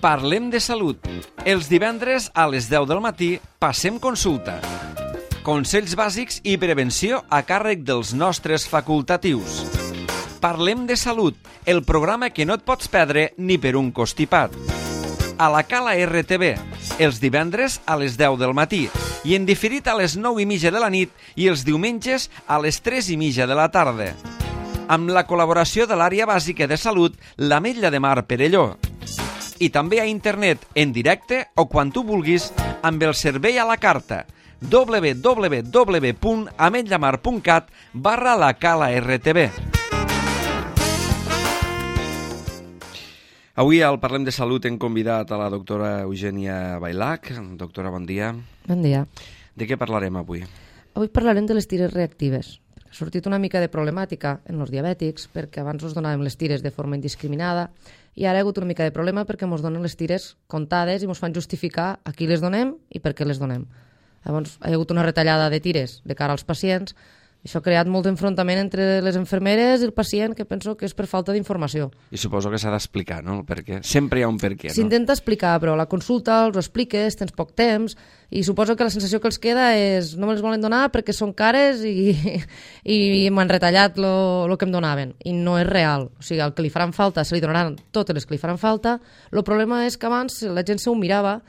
Parlem de salut. Els divendres a les 10 del matí passem consulta. Consells bàsics i prevenció a càrrec dels nostres facultatius. Parlem de salut, el programa que no et pots perdre ni per un costipat. A la Cala RTV, els divendres a les 10 del matí i en diferit a les 9:30 de la nit i els diumenges a les 3:30 de la tarda. Amb la col·laboració de l'àrea bàsica de salut, l'Ametlla de Mar Perelló. I també a internet, en directe o quan tu vulguis, amb el servei a la carta www.ametllamar.cat/la Cala RTV. Avui al Parlem de Salut hem convidat a la doctora Eugènia Bailac. Doctora, bon dia. Bon dia. De què parlarem avui? Avui parlarem de les tires reactives. Ha sortit una mica de problemàtica en els diabètics perquè abans us donàvem les tires de forma indiscriminada i ara hi ha hagut una mica de problema perquè ens donen les tires comptades i ens fan justificar a qui les donem i per què les donem. Llavors, hi ha hagut una retallada de tires de cara als pacients. Això ha creat molt enfrontament entre les infermeres i el pacient, que penso que és per falta d'informació. I suposo que s'ha d'explicar, no? Perquè sempre hi ha un per què, no? S'intenta explicar, però a la consulta els ho expliques, tens poc temps, i suposo que la sensació que els queda és no me les volen donar perquè són cares i m'han retallat el que em donaven. I no és real. O sigui, el que li faran falta, se li donaran totes les que li faran falta. El problema és que abans la gent s'ho mirava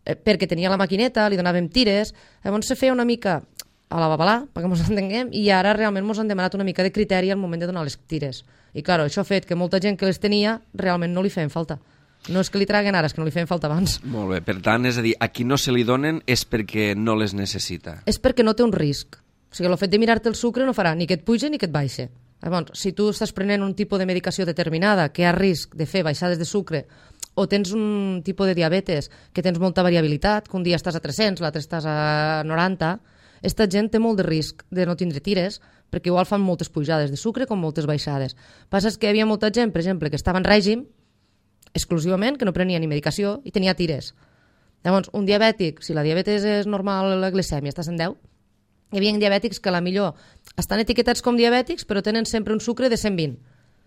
perquè tenia la maquineta, li donàvem tires, llavors se feia una mica a la babalà, perquè ens entenguem, i ara realment ens han demanat una mica de criteri al moment de donar les tires. I clar, això ha fet que molta gent que les tenia realment no li feien falta. No és que li traguen ara, és que no li feien falta abans. Molt bé, per tant, és a dir, a qui no se li donen és perquè no les necessita. És perquè no té un risc. O sigui, el fet de mirar-te el sucre no farà ni que et pugi ni que et baixe. Llavors, si tu estàs prenent un tipus de medicació determinada que ha risc de fer baixades de sucre o tens un tipus de diabetes que tens molta variabilitat, que un dia estàs a 300, l'altre estàs a 90, esta gent té molt de risc de no tindre tires perquè igual fan moltes pujades de sucre com moltes baixades. Passa que hi havia molta gent, per exemple, que estava en règim exclusivament, que no prenia ni medicació i tenia tires. Llavors, un diabètic, si la diabetes és normal, la glicèmia està a 110, hi havia diabètics que a la millor estan etiquetats com diabètics però tenen sempre un sucre de 120.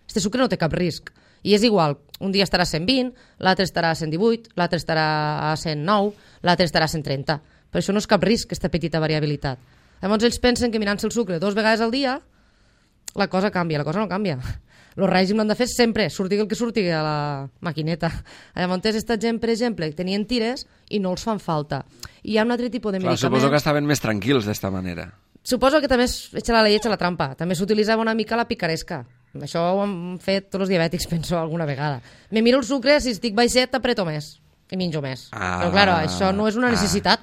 Este sucre no té cap risc. I és igual, un dia estarà a 120, l'altre estarà a 118, l'altre estarà a 109, l'altre estarà a 130. Per això no és cap risc, aquesta petita variabilitat. Llavors ells pensen que mirant-se el sucre 2 vegades al dia, la cosa canvia, la cosa no canvia. El règim l'han de fer sempre, surti el que surti a la maquineta. Llavors aquesta gent, per exemple, tenien tires i no els fan falta. I hi ha un altre tipus de medicaments... Suposo que estaven més tranquils d'esta manera. Suposo que també echa la llei, echa la trampa. També s'utilitzava una mica la picaresca. Això ho han fet tots els diabètics, penso, alguna vegada. Me miro el sucre, si estic baixet, apreto més i menjo més. Però, clar, això no és una necessitat.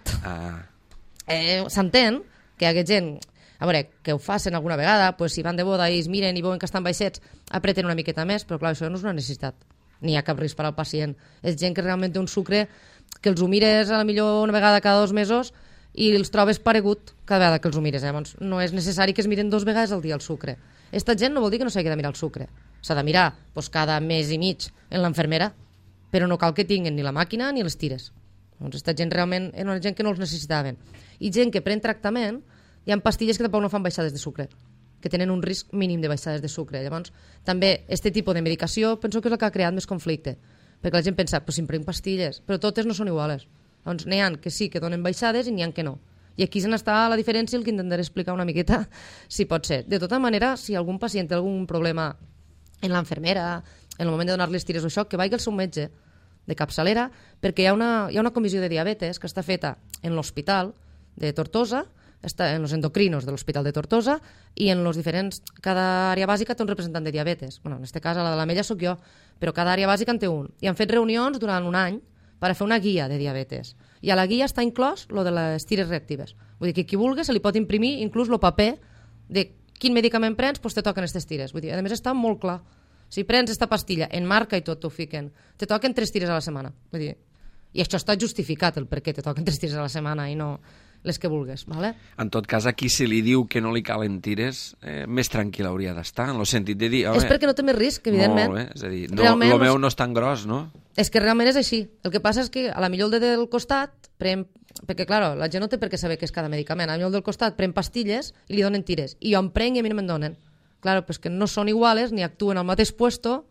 S'entén que hi ha gent, a veure, que ho facin alguna vegada, pues, si van de boda i es miren i veuen que estan baixets, apreten una miqueta més, però, clar, això no és una necessitat. Ni hi ha cap risc per al pacient. És gent que realment té un sucre que els ho mires a la millor una vegada cada 2 mesos i els trobes paregut cada vegada que els ho mires. Llavors, no és necessari que es miren 2 vegades al dia el sucre. Esta gent no vol dir que no s'hagi de mirar el sucre. S'ha de mirar cada mes i mig en l'enfermera, però no cal que tinguin ni la màquina ni les tires. Doncs esta gent realment era una gent que no els necessitaven. I gent que pren tractament, hi ha pastilles que tampoc no fan baixades de sucre, que tenen un risc mínim de baixades de sucre. Llavors, també aquest tipus de medicació penso que és el que ha creat més conflicte, perquè la gent pensa, si em prenc pastilles, però totes no són iguales. Doncs n'hi ha que sí que donen baixades i n'hi ha que no. I aquí se n'està la diferència, el que intentaré explicar una miqueta, si pot ser. De tota manera, si algun pacient té algun problema en l'enfermera, en el moment de donar-li tires o això, que vagi al seu metge de capçalera, perquè hi ha una comissió de diabetes que està feta en l'hospital de Tortosa, està en els endocrinos de l'Hospital de Tortosa, i en los diferents... Cada àrea bàsica té un representant de diabetes. Bueno, en aquest cas, a la de l'Ametlla sóc jo, però cada àrea bàsica en té un. I han fet reunions durant un any per fer una guia de diabetes. I a la guia està inclòs lo de les tires reactives. Vull dir que qui vulgui se li pot imprimir inclús el paper de quin medicament prens, doncs te toquen aquestes tires. Vull dir, a més està molt clar. Si prens esta pastilla, en marca i tot t'ho fiquen, te toquen 3 tires a la setmana. Vull dir, i això està justificat, el per què te toquen 3 tires a la setmana i no les que vulgues. Vale? En tot cas, aquí si li diu que no li calen tires, més tranquil hauria d'estar, en el sentit de dir... És perquè no té més risc, evidentment. Molt bé, és a dir, el meu no és tan gros, no? És que realment és així. El que passa és que a la millor el del costat, perquè clar, la gent no té per què saber què és cada medicament, a la millor el del costat pren pastilles i li donen tires, i jo em prenc i a mi no me'n donen. Clar, però és que no són iguales, ni actuen al mateix puesto,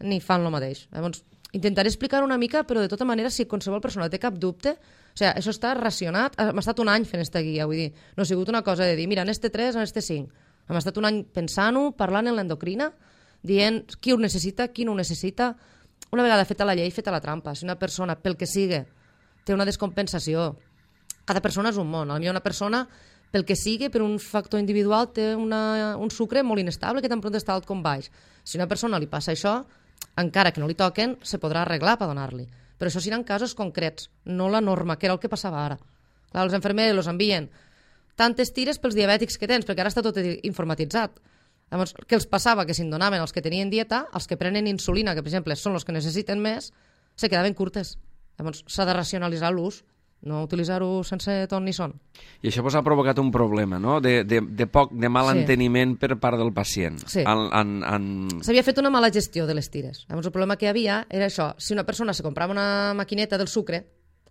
ni fan el mateix. Llavors, intentaré explicar una mica, però de tota manera, si qualsevol persona té cap dubte, o sigui, això està racionat, hem estat un any fent esta guia, vull dir, no ha sigut una cosa de dir, mira, en este 3, en este 5. Hem estat un any pensant-ho, parlant en l'endocrina, dient qui ho necessita, qui no ho necessita. Una vegada feta la llei, feta la trampa. Si una persona, pel que sigui, té una descompensació, cada persona és un món. Potser una persona, pel que sigui, per un factor individual, té un sucre molt inestable que tan pront està alt com baix. Si a una persona li passa això, encara que no li toquen, se podrà arreglar per donar-li. Però això seran casos concrets, no la norma, que era el que passava ara. Clar, els infermers els envien tantes tires pels diabètics que tens, perquè ara està tot informatitzat. Llavors, què els passava? Que si en donaven els que tenien dieta, els que prenen insulina, que per exemple són els que necessiten més, se quedaven curtes. Llavors, s'ha de racionalitzar l'ús, no utilitzar-ho sense ton ni son. I això ha provocat un problema, no?, de mal enteniment per part del pacient. Sí. S'havia fet una mala gestió de les tires. Llavors, el problema que hi havia era això. Si una persona se comprava una maquineta del sucre,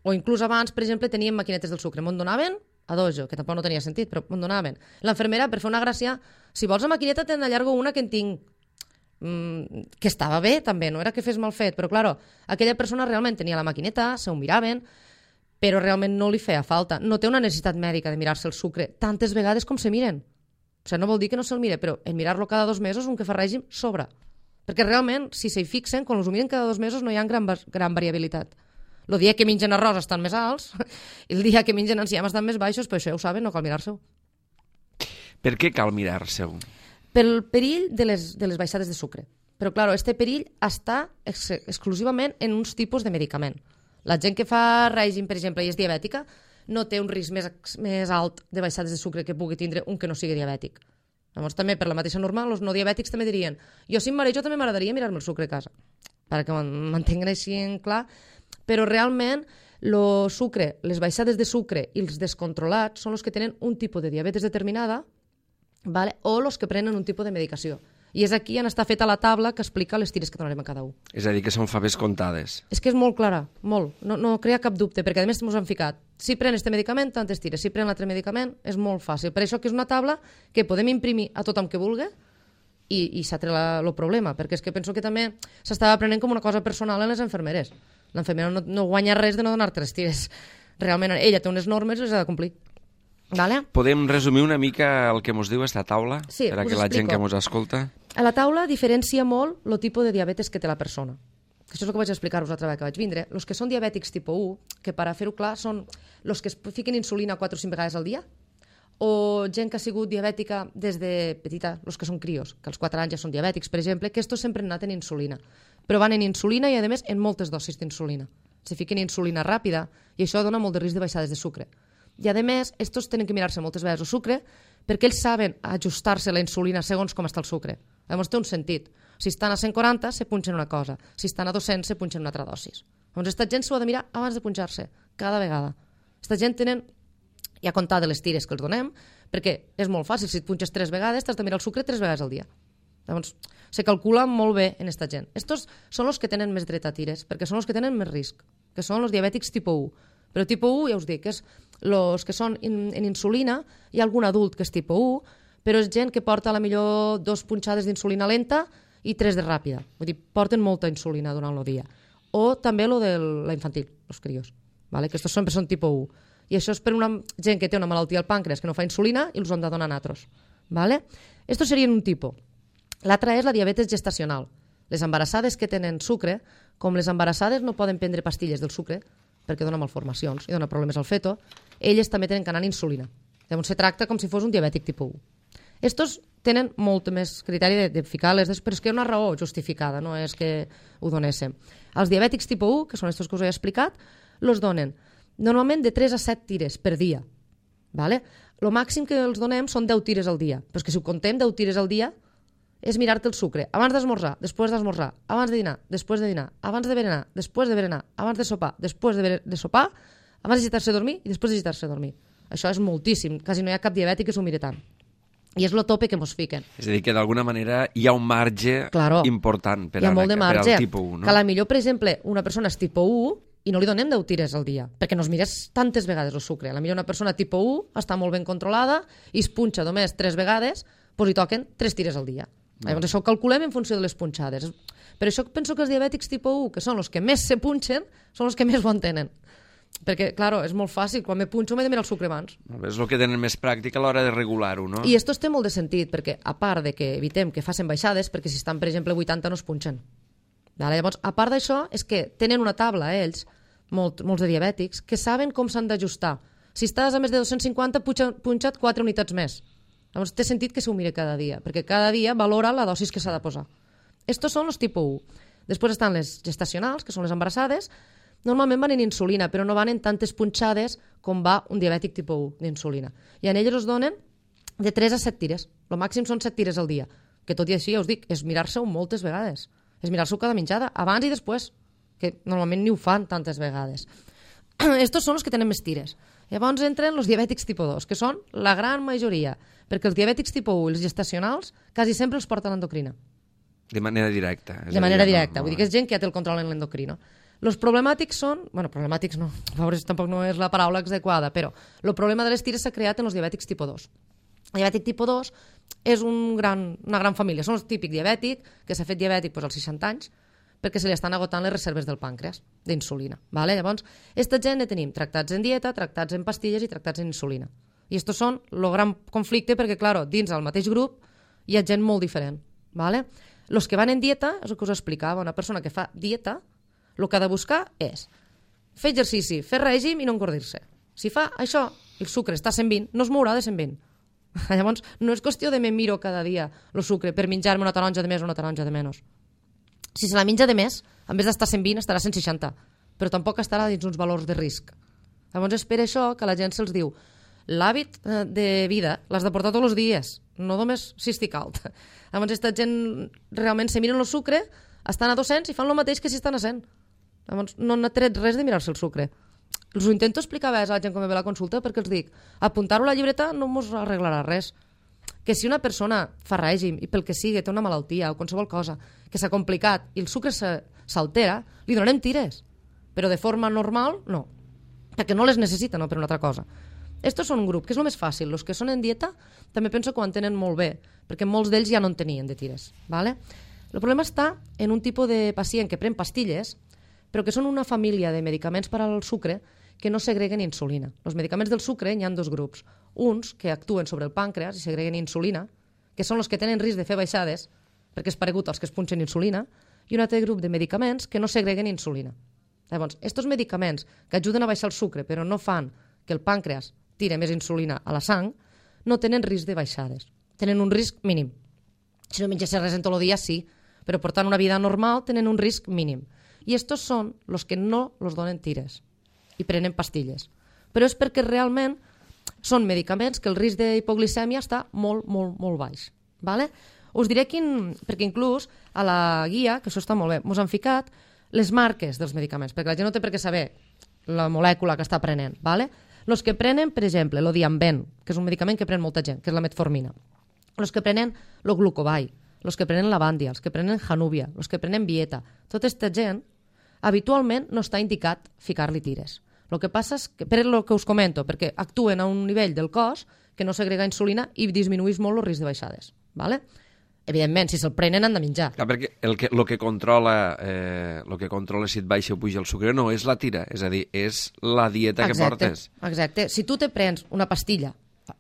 o inclús abans, per exemple, tenien maquinetes del sucre, me'n donaven a dojo, que tampoc no tenia sentit, però me'n donaven. L'infermera, per fer una gràcia, si vols la maquineta, te'n allargo una que en tinc. Que estava bé, també, no era que fes mal fet, però, claro, aquella persona realment tenia la maquineta, se ho miraven, però realment no li feia falta. No té una necessitat mèdica de mirar-se el sucre tantes vegades com se miren. O sigui, no vol dir que no se'l mire, però en mirar-lo cada 2 mesos, un que fa règim, sobra. Perquè realment, si s'hi fixen, quan els ho miren cada 2 mesos no hi ha gran variabilitat. El dia que mengen arròs estan més alts, el dia que mengen enciam estan més baixos, però això ja ho saben, no cal mirar-se-ho. Per què cal mirar-se-ho? Pel perill de les baixades de sucre. Però, clar, este perill està exclusivament en uns tipus de medicament. La gent que fa règim, per exemple, i és diabètica, no té un risc més alt de baixades de sucre que pugui tindre un que no sigui diabètic. Llavors, també, per la mateixa norma, els no diabètics també dirien jo, si em marejo, també m'agradaria mirar-me el sucre a casa, perquè m'entenguin així en clar. Però realment, el sucre, les baixades de sucre i els descontrolats són els que tenen un tipus de diabetes determinada, vale? O els que prenen un tipus de medicació. I és aquí on està feta la taula que explica les tires que donarem a cada un. És a dir, que són faves comptades. És que és molt clara, molt. No crea cap dubte, perquè a més ens han ficat. Si pren este medicament, tantes tires. Si pren l'altre medicament, és molt fàcil. Per això que és una taula que podem imprimir a tothom que vulgui i s'ha tret el problema, perquè és que penso que també s'estava prenent com una cosa personal en les infermeres. L'infermera no guanya res de no donar-te les tires. Realment, ella té unes normes i les ha de complir. Vale? Podem resumir una mica el que ens diu esta taula? Sí, per a que la gent que ens escolta... A la taula diferencia molt el tipus de diabetes que té la persona. Això és el que vaig explicar-vos l'altra vegada que vaig vindre. Els que són diabètics tipus 1, que per a fer-ho clar són els que es fiquen insulina 4 o 5 vegades al dia, o gent que ha sigut diabètica des de petita, els que són crios, que als 4 anys ja són diabètics, per exemple, que estos sempre han anat en insulina. Però van en insulina i, a més, en moltes dosis d'insulina. Se fiquen insulina ràpida i això dona molt de risc de baixades de sucre. I, a més, estos tenen que mirar-se moltes vegades el sucre perquè ells saben ajustar-se la insulina segons com està el sucre. Llavors té un sentit. Si estan a 140, se punxen una cosa. Si estan a 200, se punxen una altra dosis. Llavors, aquesta gent s'ho ha de mirar abans de punxar-se, cada vegada. Aquesta gent tenen ja comptat de les tires que els donem, perquè és molt fàcil. Si et punxes 3 vegades, t'has de mirar el sucre 3 vegades al dia. Llavors, se calcula molt bé en aquesta gent. Estos són els que tenen més dret a tires, perquè són els que tenen més risc, que són els diabètics tipus 1. Però tipus 1, ja us dic, és els que són en insulina, hi ha algun adult que és tipus 1, però és gent que porta a la millor 2 punxades d'insulina lenta i 3 de ràpida. Vull dir, porten molta insulina durant el dia. O també el de la infantil, els crios, vale? Que aquests sempre són tipus 1. I això és per una gent que té una malaltia al pàncreas que no fa insulina i els han de donar natros. Vale? Estos serien un tipus. L'altra és la diabetes gestacional. Les embarassades que tenen sucre, com les embarassades no poden prendre pastilles del sucre, perquè dona malformacions i dona problemes al feto, elles també tenen que anar en insulina. Llavors se tracta com si fos un diabètic tipus 1. Estos tenen molt més criteri de ficar-les, però és que hi ha una raó justificada, no és que ho donéssim. Els diabètics tipus 1, que són estos que us he explicat, els donen normalment de 3 a 7 tires per dia. Vale? El màxim que els donem són 10 tires al dia, però és que si ho contem 10 tires al dia és mirar-te el sucre abans d'esmorzar, després d'esmorzar, abans de dinar, després de dinar, abans de berenar, després de berenar, abans de sopar, després de sopar, abans de gitar-se a dormir i després de gitar-se a dormir. Això és moltíssim, quasi no hi ha cap diabètic que s'ho miri tant. I és el tope que mos fiquen. És a dir, que d'alguna manera hi ha un marge important per al tipus 1. No? Que a la millor, per exemple, una persona és tipus 1 i no li donem 10 tires al dia, perquè no es mires tantes vegades el sucre. A la millor una persona tipus 1 està molt ben controlada i es punxa només 3 vegades, doncs hi toquen 3 tires al dia. Llavors això ho calculem en funció de les punxades. Per això penso que els diabètics tipus 1, que són els que més se punxen, són els que més ho entenen. Perquè, clar, és molt fàcil, quan me punxo m'he de mirar el sucre abans. És el que tenen més pràctica a l'hora de regular-ho, no? I esto té molt de sentit, perquè a part de que evitem que facin baixades, perquè si estan, per exemple, 80 no es punxen. Llavors, a part d'això, és que tenen una taula, ells, molts de diabètics, que saben com s'han d'ajustar. Si estàs a més de 250, punxa't 4 unitats més. Llavors, té sentit que s'ho mire cada dia, perquè cada dia valora la dosis que s'ha de posar. Estos són els tipus 1. Després estan les gestacionals, que són les embarassades. Normalment van en insulina, però no van en tantes punxades com va un diabètic tipus 1 d'insulina. I en elles us donen de 3 a 7 tires. El màxim són 7 tires al dia. Que tot i així, ja us dic, és mirar-se-ho moltes vegades. És mirar-se-ho cada menjada, abans i després, que normalment ni ho fan tantes vegades. Estos són els que tenen més tires. Llavors entren els diabètics tipus 2, que són la gran majoria, perquè els diabètics tipus 1 i els gestacionals quasi sempre els porta l'endocrina. De manera directa. De manera directa, vull dir que és gent que ja té el control en l'endocrino. Els problemàtics són... Bueno, problemàtics no, pobres tampoc no és la paraula adequada, però el problema de les tires s'ha creat en els diabètics tipus 2. El diabètic tipus 2 és una gran família. Són el típic diabètic, que s'ha fet diabètic als 60 anys, perquè se li estan agotant les reserves del pàncreas, d'insulina. Vale? Llavors, aquesta gent ne tenim tractats en dieta, tractats en pastilles i tractats en insulina. I estos són el gran conflicte perquè, clar, dins del mateix grup hi ha gent molt diferent. Vale? Els que van en dieta, és el que us explicava, una persona que fa dieta, el que ha de buscar és fer exercici, fer règim i no engordir-se. Si fa això, el sucre està a 120, no es mourà de 120. Llavors, no és qüestió de me miro cada dia el sucre per menjar-me una taronja de més o una taronja de menys. Si se la menja de més, en vez d'estar a 120, estarà a 160, però tampoc estarà dins uns valors de risc. Llavors, és per això que la gent se'ls diu l'hàbit de vida l'has de portar tots els dies, no només si estic alt. Llavors, aquesta gent realment se miren el sucre, estan a 200 i fan el mateix que si estan a 100. Llavors, no n'ha tret res de mirar-se el sucre. Els ho intento explicar a la gent quan me ve a la consulta perquè els dic, apuntar-ho a la llibreta no mos arreglarà res. Que si una persona fa règim i pel que sigui té una malaltia o qualsevol cosa que s'ha complicat i el sucre s'altera, li donem tires. Però de forma normal, no. Perquè no les necessita, no per una altra cosa. Estos són un grup, que és el més fàcil. Els que són en dieta també penso que ho entenen molt bé, perquè molts d'ells ja no en tenien de tires. Vale? El problema està en un tipus de pacient que pren pastilles, però que són una família de medicaments per al sucre que no segreguen insulina. Els medicaments del sucre hi ha dos grups. Uns que actuen sobre el pàncreas i segreguen insulina, que són els que tenen risc de fer baixades, perquè és paregut als que es punxen insulina, i un altre grup de medicaments que no segreguen insulina. Llavors, aquests medicaments que ajuden a baixar el sucre però no fan que el pàncreas tire més insulina a la sang, no tenen risc de baixades. Tenen un risc mínim. Si no menges res en tot el dia, sí, però portant una vida normal tenen un risc mínim. I estos són els que no els donen tires i prenen pastilles. Però és perquè realment són medicaments que el risc d'hipoglicèmia està molt, molt, molt baix. Vale? Us diré perquè inclús a la guia, que això està molt bé, us han ficat les marques dels medicaments, perquè la gent no té per què saber la molècula que està prenent. Vale? Els que prenen, per exemple, el Dianben, que és un medicament que pren molta gent, que és la metformina. Els que prenen el glucovai, els que prenen Lavandia, els que prenen Januvia, els que prenen Vieta. Tota aquesta gent habitualment no està indicat ficar-li tires. El que passa és que, per el que us comento, perquè actuen a un nivell del cos que no segrega insulina i disminuïs molt el risc de baixades. Vale? Evidentment, si se'l prenen han de menjar. Clar, perquè el que controla si et baixa o puja el sucre no és la tira, és a dir, és la dieta que portes. Exacte. Si tu te prens una pastilla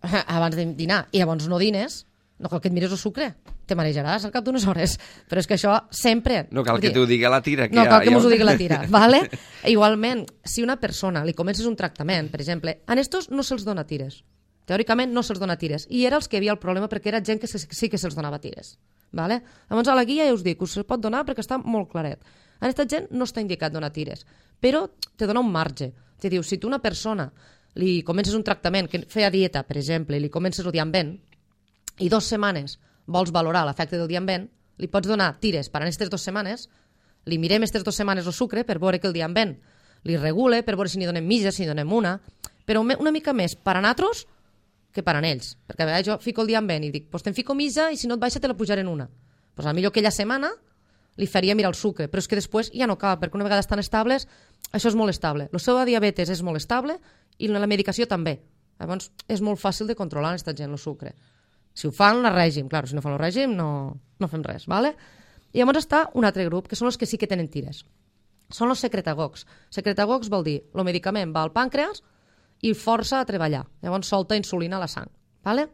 abans de dinar i llavors no dines, no cal que et mires el sucre, te marejaràs al cap d'unes hores. Però és que això sempre... No cal que t'ho digui la tira. No cal que m'ho digui la tira, vale? Igualment, si una persona li comences un tractament, per exemple, a estos no se'ls dona tires. Teòricament no se'ls dona tires. I era els que hi havia el problema perquè era gent que sí que se'ls donava tires. Vale? Llavors a la guia ja us dic, us pot donar perquè està molt claret. A aquesta gent no està indicat donar tires, però te dona un marge. Te diu, si tu una persona li comences un tractament que feia dieta, per exemple, i li comences el Dianben, i 2 setmanes vols valorar l'efecte del Dianben, li pots donar tires per a aquestes 2 setmanes, li mirem aquestes 2 setmanes el sucre per veure que el Dianben li regule, per veure si n'hi donem mitja, si n'hi donem una, però una mica més per a nosaltres que per a ells. Perquè a vegades jo fico el Dianben i dic, pues te'n fico mitja i si no et baixa te la pujaré en una. Pues potser aquella setmana li faria mirar el sucre, però és que després ja no cal, perquè una vegada estan estables, això és molt estable. El seu diabetes és molt estable i la medicació també. Llavors és molt fàcil de controlar aquesta gent el sucre. Si ho fan, la règim. Clar, si no fan el règim, no fem res, ¿vale? I llavors està un altre grup, que són els que sí que tenen tires. Són els secretagogs. Secretagogs vol dir, el medicament va al pàncreas i força a treballar. Llavors solta insulina a la sang, ¿vale?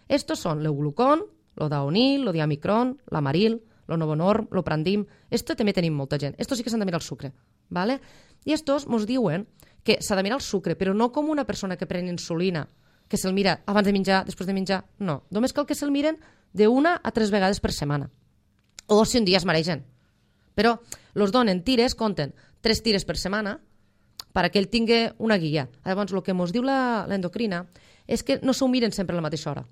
Estos són l'euglucon, l'odaonil, l'odiamicron, l'amaril, l'onovonorm, l'oprandim. Esto també tenim molta gent. Estos sí que s'han de mirar el sucre, ¿vale? I estos mos diuen que s'ha de mirar el sucre, però no com una persona que pren insulina, que se'l mira abans de menjar, després de menjar. No, només cal que se'l miren de 1 a 3 vegades per setmana. O si un dia es maregen. Però els donen tires, compten 3 tires per setmana perquè ell tingui una guia. Llavors, el que ens diu l'endocrina és que no s'ho miren sempre a la mateixa hora.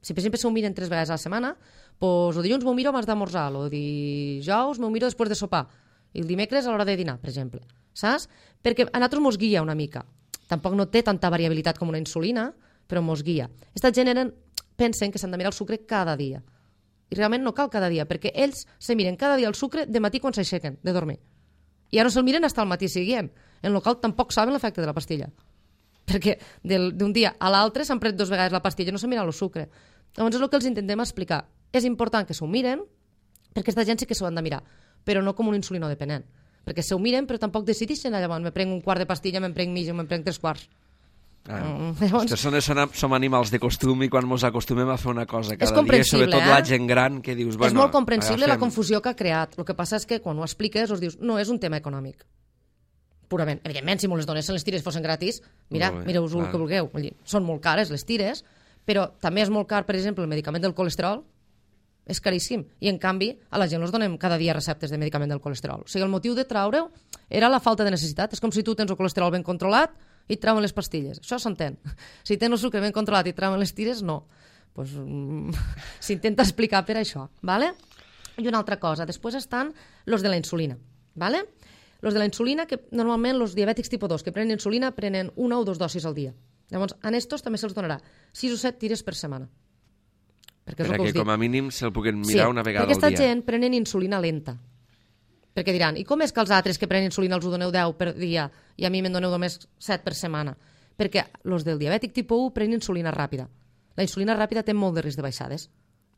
Si per exemple s'ho miren 3 vegades a la setmana, doncs el dilluns m'ho miro abans d'esmorzar, el dijous m'ho miro després de sopar, i el dimecres a l'hora de dinar, per exemple. Saps? Perquè a nosaltres mos guia una mica. Tampoc no té tanta variabilitat com una insulina, però mos guia. Esta gent pensen que s'han de mirar el sucre cada dia. I realment no cal cada dia, perquè ells se miren cada dia el sucre de matí quan s'aixequen de dormir. I ja no se'l miren fins al matí siguient, en el qual tampoc saben l'efecte de la pastilla. Perquè d'un dia a l'altre s'han pres 2 vegades la pastilla i no s'ha mirat el sucre. Llavors és el que els intentem explicar. És important que s'ho miren, perquè aquesta gent sí que s'ho han de mirar, però no com un insulinodependent. Perquè s'ho miren, però tampoc decideixen llavors, me prenc un quart de pastilla, me'n prenc mig o me'n prenc 3 quarts. Llavors... Som animals de costum i quan ens acostumem a fer una cosa cada dia, sobretot la gent gran que dius... És molt comprensible la confusió que ha creat. El que passa és que quan ho expliques us dius no és un tema econòmic. Purament. Evidentment, si les dones les tires fossin gratis, mireu-vos el que vulgueu. Són molt cares les tires, però també és molt car, per exemple, el medicament del colesterol, és caríssim. I, en canvi, a la gent els donem cada dia receptes de medicament del colesterol. O sigui, el motiu de traure-ho era la falta de necessitat. És com si tu tens el colesterol ben controlat i et trauen les pastilles. Això s'entén. Si tens el sucre ben controlat i et trauen les tires, no. Pues, s'intenta explicar per això. ¿Vale? I una altra cosa. Després estan los de la insulina. ¿Vale? Los de la insulina, que normalment els diabètics tipus 2 que prenen insulina prenen 1 o 2 dosis al dia. Llavors, a estos també se'ls donarà 6 o 7 tires per setmana. Perquè com a mínim se'l puguin mirar una vegada al dia. Perquè aquesta gent prenen insulina lenta. Perquè diran, i com és que els altres que prenen insulina els ho doneu 10 per dia i a mi me'n doneu només 7 per setmana? Perquè els del diabètic tipus 1 prenen insulina ràpida. La insulina ràpida té molt de risc de baixades,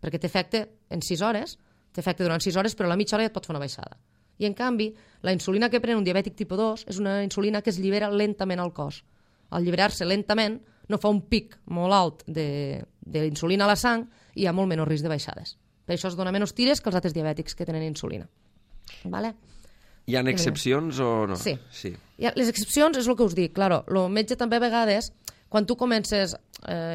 perquè té efecte en 6 hores, té efecte durant 6 hores, però a la mitja hora ja et pot fer una baixada. I en canvi, la insulina que pren un diabètic tipus 2 és una insulina que es llibera lentament al cos. Al lliberar-se lentament no fa un pic molt alt d'insulina a la sang i hi ha molt menys risc de baixades. Per això es dona menys tires que els altres diabètics que tenen insulina. Vale? Hi ha excepcions o no? Sí. Les excepcions és el que us dic. Claro, el metge també a vegades, quan tu comences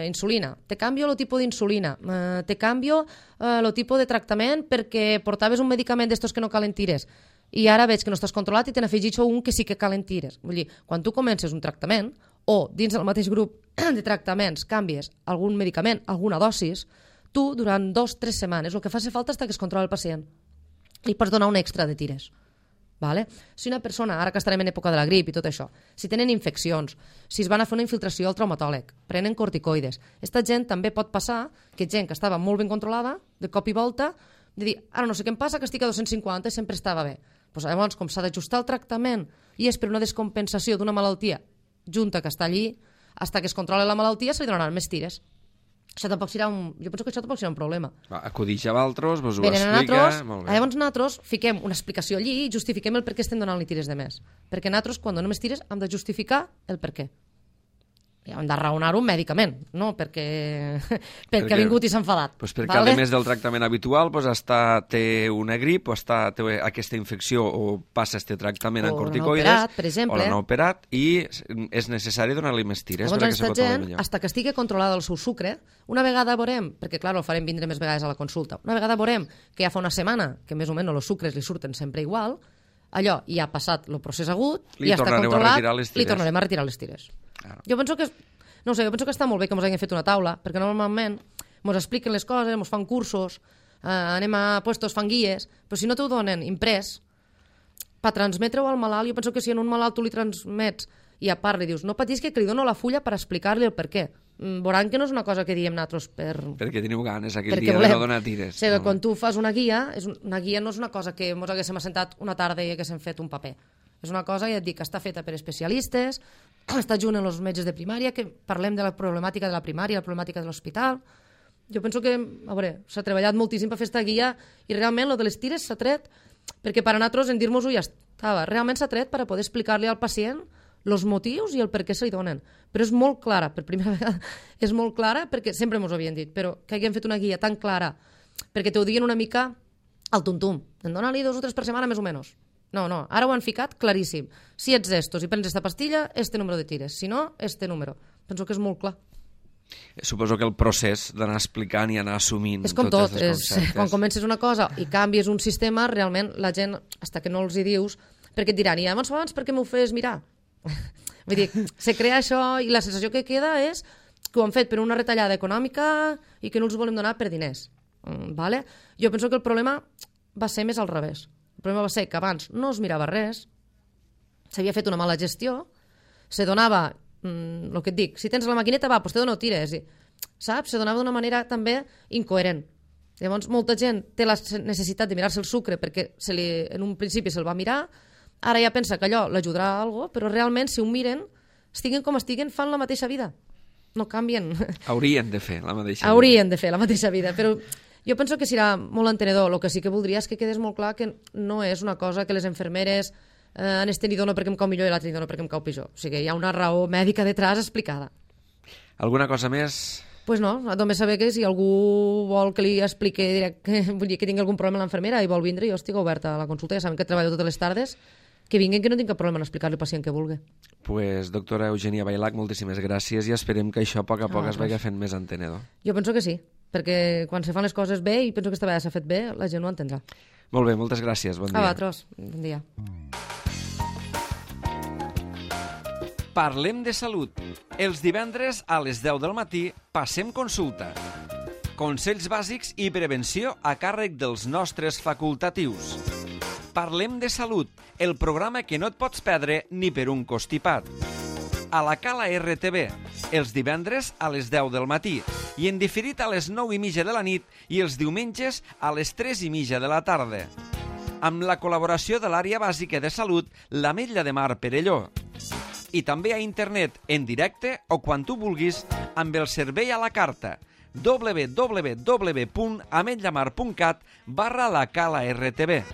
insulina, te canvio el tipus d'insulina, te canvio el tipus de tractament perquè portaves un medicament d'estos que no calen tires i ara veig que no estàs controlat i te n'afegitxo un que sí que calen tires. Vull dir, quan tu comences un tractament o dins del mateix grup de tractaments canvies algun medicament, alguna dosis, tu durant 2-3 setmanes el que faci falta és que es controla el pacient. Li pots donar un extra de tires. Vale? Si una persona, ara que estarem en època de la grip i tot això, si tenen infeccions, si es van a fer una infiltració al traumatòleg, prenen corticoides, aquesta gent també pot passar que gent que estava molt ben controlada, de cop i volta, de dir, ara no sé què em passa, que estic a 250 i sempre estava bé. Pues, llavors, com s'ha d'ajustar el tractament i és per una descompensació d'una malaltia junta que està allí, fins que es controla la malaltia se li donaran més tires. Això tampoc serà jo penso que això tampoc serà un problema. Acudix a vosaltres, vos ho explica... Llavors nosaltres fiquem una explicació allí i justifiquem el per què estem donant-li tires de més. Perquè nosaltres, quan donem més tires, hem de justificar el per què. I hem de raonar-ho mèdicament, no perquè ha vingut i s'ha enfadat. Pues perquè, a més del tractament habitual, té una grip o té aquesta infecció o passa este tractament en corticoides, o l'han operat, i és necessari donar-li més tires. Llavors, aquesta gent, fins que estigui controlada el seu sucre, una vegada veurem, perquè clar, el farem vindre més vegades a la consulta, una vegada veurem que ja fa una setmana que més o menys els sucres li surten sempre igual, allò ja ha passat el procés agut, ja està controlat, li tornarem a retirar les tires. Jo penso que està molt bé que ens hagin fet una taula, perquè normalment ens expliquen les coses, ens fan cursos, anem a puestos, fan guies, però si no t'ho donen imprès, per transmetre-ho al malalt, jo penso que si en un malalt tu li transmets i a part li dius, no patis que li dono la fulla per explicar-li el per què. Veuran que no és una cosa que diem nosaltres perquè teniu ganes aquell dia de no donar tires. O sigui, quan tu fas una guia no és una cosa que ens haguéssim assentat una tarda i haguéssim fet un paper. És una cosa, ja et dic, que està feta per especialistes, està junt amb els metges de primària, que parlem de la problemàtica de la primària, la problemàtica de l'hospital, Jo penso que, a veure, s'ha treballat moltíssim per fer esta guia i realment lo de les tires s'ha tret perquè per a nosaltres en dir-nos-ho ja estava. Realment s'ha tret per a poder explicar-li al pacient els motius i el per què se li donen. Però és molt clara, per primera vegada, és molt clara perquè sempre ens ho havien dit, però que haguem fet una guia tan clara perquè te ho diguen una mica al tuntum. En dona-li 2 o 3 per setmana més o menys. No, ara ho han ficat claríssim. Si ets d'estos i prens esta pastilla, este número de tires. Si no, este número. Penso que és molt clar. Suposo que el procés d'anar explicant i anar assumint és com tots tot, els conceptes. Quan comences una cosa i canvies un sistema, realment la gent, hasta que no els hi dius, perquè et diran, i abans per què m'ho fes mirar? Vull dir, se crea això i la sensació que queda és que ho han fet per una retallada econòmica i que no els volem donar per diners. Vale? Jo penso que el problema va ser més al revés. El problema va ser que abans no es mirava res, s'havia fet una mala gestió, se donava el que et dic, si tens la maquineta va, doncs te dono tires, saps? Se donava d'una manera també incoherent. Llavors molta gent té la necessitat de mirar-se el sucre perquè en un principi se'l va mirar, ara ja pensa que allò l'ajudarà a alguna cosa, però realment si ho miren, estiguen com estiguen, fan la mateixa vida. No canvien. Haurien de fer la mateixa vida. Haurien de fer la mateixa vida, però jo penso que serà molt entenedor. El que sí que voldria és que quedés molt clar que no és una cosa que les infermeres en este ni dono perquè em cau millor i l'altre ni dono perquè em cau pitjor. O sigui, hi ha una raó mèdica detrás explicada. Alguna cosa més? Pues no, només saber que si algú vol que li expliqui vull dir que tingui algun problema a l'enfermera i vol vindre, jo estic oberta a la consulta, ja saben que treballo totes les tardes, que vinguin, que no tinc cap problema en explicar-li al pacient que vulgui. Pues, doctora Eugènia Bailac, moltíssimes gràcies i esperem que això a poc a poc es vagi fent més entenedor. Jo penso que sí, perquè quan se fan les coses bé, i penso que esta vegada s'ha fet bé, la gent ho entendrà. Molt bé, moltes gràcies, bon dia. A vosaltres, bon dia. Parlem de salut. Els divendres a les 10 del matí passem consulta. Consells bàsics i prevenció a càrrec dels nostres facultatius. Parlem de salut, el programa que no et pots perdre ni per un costipat. A la Cala RTV, els divendres a les 10 del matí i en diferit a les 9:30 de la nit i els diumenges a les 3:30 de la tarda. Amb la col·laboració de l'àrea bàsica de salut, l'Ametlla de Mar Perelló. I també a internet, en directe o quan tu vulguis, amb el servei a la carta www.ametllamar.cat/la Cala RTV.